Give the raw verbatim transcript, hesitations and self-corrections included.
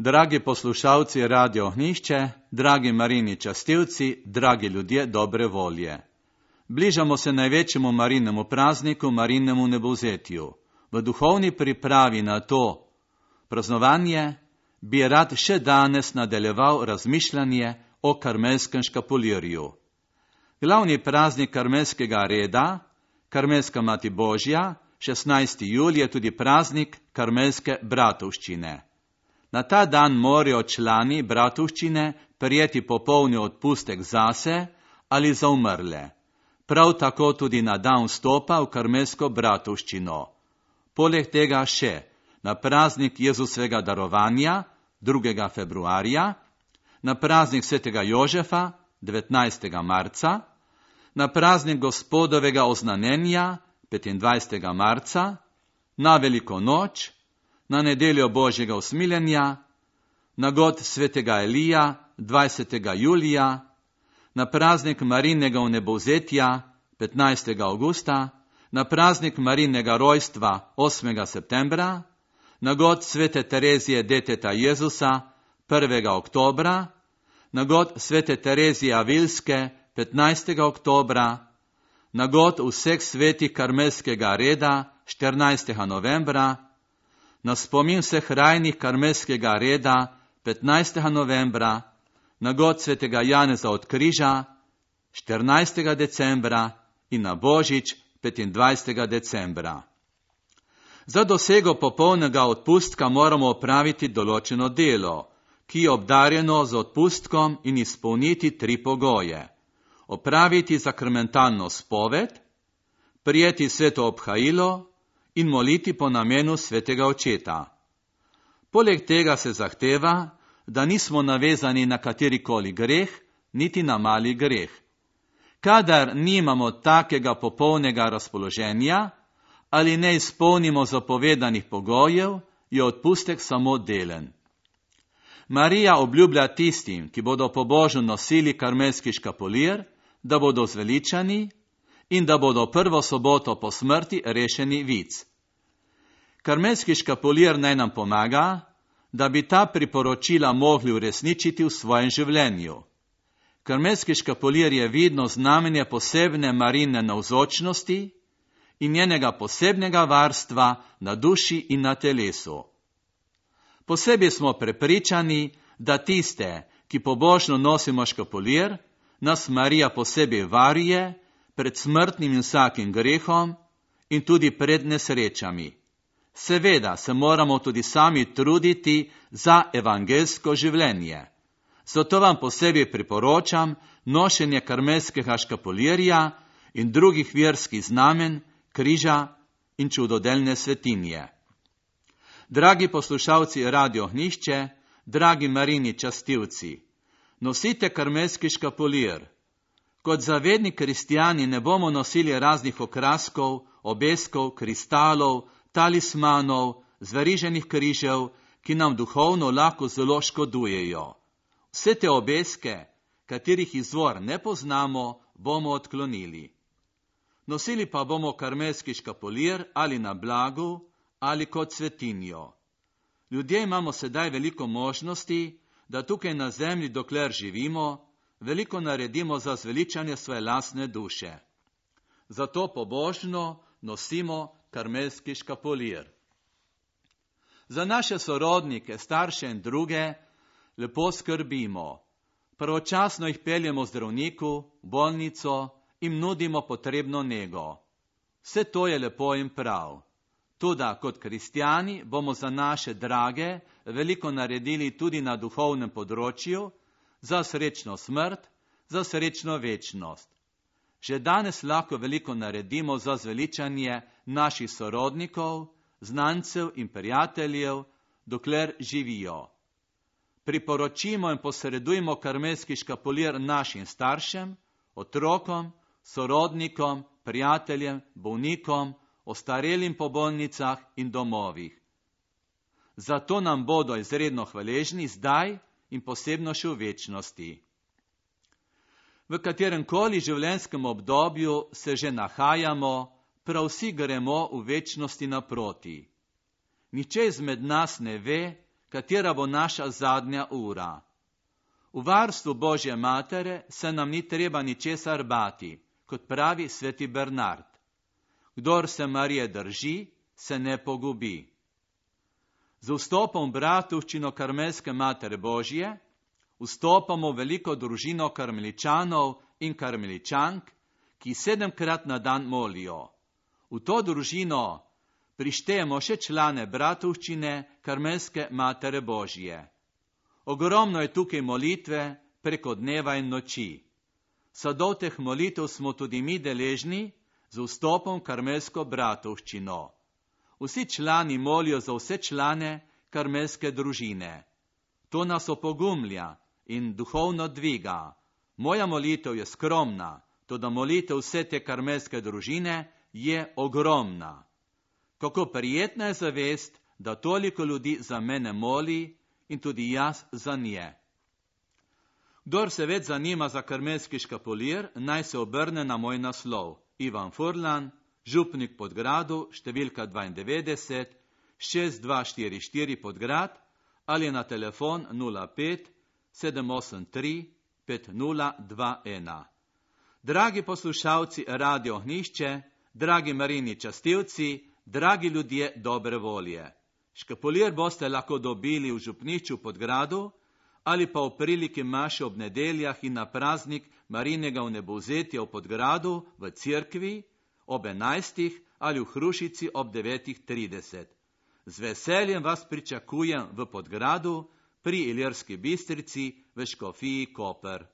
Dragi poslušalci Radio Ohnišče, dragi Marini častilci, dragi ljudje dobre volje. Bližamo se največjemu Marinemu prazniku, Marinemu nebovzetju. V duhovni pripravi na to praznovanje bi rad še danes nadaljeval razmišljanje o karmelskem škapulirju. Glavni praznik karmelskega reda, Karmelska mati Božja, šestnajsti julij je tudi praznik karmelske bratovščine. Na ta dan morajo člani bratovščine prijeti popolni odpustek zase ali za umrle. Prav tako tudi na dan vstopa v karmelsko bratovščino. Poleg tega še na praznik Jezusovega darovanja, drugega februarja, na praznik svetega Jožefa, devetnajstega marca, na praznik Gospodovega oznanjenja, petindvajsetega marca, na Veliko noč, na nedeljo Božjega usmiljenja, na god svetega Elija, dvajsetega julija, na praznik Marinega vnebovzetja, petnajstega avgusta, na praznik Marinega rojstva, osmega septembra, na god svete Terezije deteta Jezusa, prvega oktobra, na god svete Terezije Avilske, petnajstega oktobra, na god vseh svetih karmelskega reda, štirinajstega novembra, na spomin vseh rajnih karmelskega reda, petnajstega novembra, na god svetega Janeza od križa, štirinajstega decembra in na Božič, petindvajsetega decembra. Za dosego popolnega odpustka moramo opraviti določeno delo, ki je obdarjeno z odpustkom in izpolniti tri pogoje. Opraviti sakramentalno spoved, prijeti sveto obhajilo in moliti po namenu svetega očeta. Poleg tega se zahteva, da nismo navezani na katerikoli greh, niti na mali greh. Kadar nimamo takega popolnega razpoloženja ali ne izpolnimo zapovedanih pogojev, je odpustek samo delen. Marija obljublja tistim, ki bodo pobožno nosili karmelski škapulir, da bodo zveličani in da bodo prvo soboto po smrti rešeni vic. Karmelski škapulir naj nam pomaga, da bi ta priporočila mogli uresničiti v svojem življenju. Karmelski škapulir je vidno znamenje posebne Marine navzočnosti in njenega posebnega varstva na duši in na telesu. Posebej smo prepričani, da tiste, ki pobožno nosimo škapulir, nas Marija posebej varuje pred smrtnim in vsakim grehom in tudi pred nesrečami. Seveda se moramo tudi sami truditi za evangelsko življenje. Zato vam posebej priporočam nošenje karmelskega škapulirja in drugih verskih znamen, križa in čudodelne svetinje. Dragi poslušalci Radio Ohnišče, dragi Marini častilci, nosite karmelski škapulir. Kot zavedni kristijani ne bomo nosili raznih okraskov, obeskov, kristalov, talismanov, zveriženih križev, ki nam duhovno lahko zelo škodujejo. Vse te obeske, katerih izvor ne poznamo, bomo odklonili. Nosili pa bomo karmelski škapulir ali na blagu ali kot svetinjo. Ljudje imamo sedaj veliko možnosti, da tukaj na zemlji, dokler živimo, veliko naredimo za zveličanje svoje lastne duše. Zato pobožno nosimo karmelski škapulir. Za naše sorodnike, starše in druge lepo skrbimo. Pravočasno jih peljemo zdravniku, bolnico in nudimo potrebno nego. Vse to je lepo in prav. Toda kot kristjani bomo za naše drage veliko naredili tudi na duhovnem področju, za srečno smrt, za srečno večnost. Že danes lahko veliko naredimo za zveličanje naših sorodnikov, znancev in prijateljev, dokler živijo. Priporočimo in posredujmo karmelski škapulir našim staršem, otrokom, sorodnikom, prijateljem, bolnikom, ostarelim po bolnicah in domovih. Zato nam bodo izredno hvaležni zdaj in posebno še v večnosti. V kateremkoli življenjskem obdobju se že nahajamo, prav vsi gremo v večnosti naproti. Nihče izmed nas ne ve, katera bo naša zadnja ura. V varstvu Božje matere se nam ni treba ničesar bati, kot pravi sveti Bernard. Kdor se Marije drži, se ne pogubi. Z vstopom v bratovščino Karmelske matere Božje vstopamo v veliko družino karmeličanov in karmeličank, ki sedemkrat na dan molijo. V to družino prištejemo še člane bratovščine Karmelske matere Božje. Ogromno je tukaj molitve preko dneva in noči. Sadov teh molitev smo tudi mi deležni z vstopom v Karmelsko bratovščino. Vsi člani molijo za vse člane karmelske družine. To nas opogumlja in duhovno dviga. Moja molitev je skromna, toda molitev vse te karmelske družine je ogromna. Kako prijetna je zavest, da toliko ljudi za mene moli in tudi jaz za nje. Kdor se več zanima za karmelski škapulir, naj se obrne na moj naslov. Ivan Furlan, župnik Podgradu, številka dvaindevetdeset, šest dva štiri štiri Podgrad ali na telefon nula pet sedem osem tri pet nula dva ena. Dragi poslušalci Radio Ognjišče, dragi Marini častilci, dragi ljudje dobre volje. Škapulir boste lahko dobili v župnišču Podgradu ali pa v priliki maše ob nedeljah in na praznik Marinega vnebovzetja v Podgradu v cerkvi ob enajstih ali v Hrušici ob devetih trideset. Z veseljem vas pričakujem v Podgradu pri Ilirski Bistrici v škofiji Koper.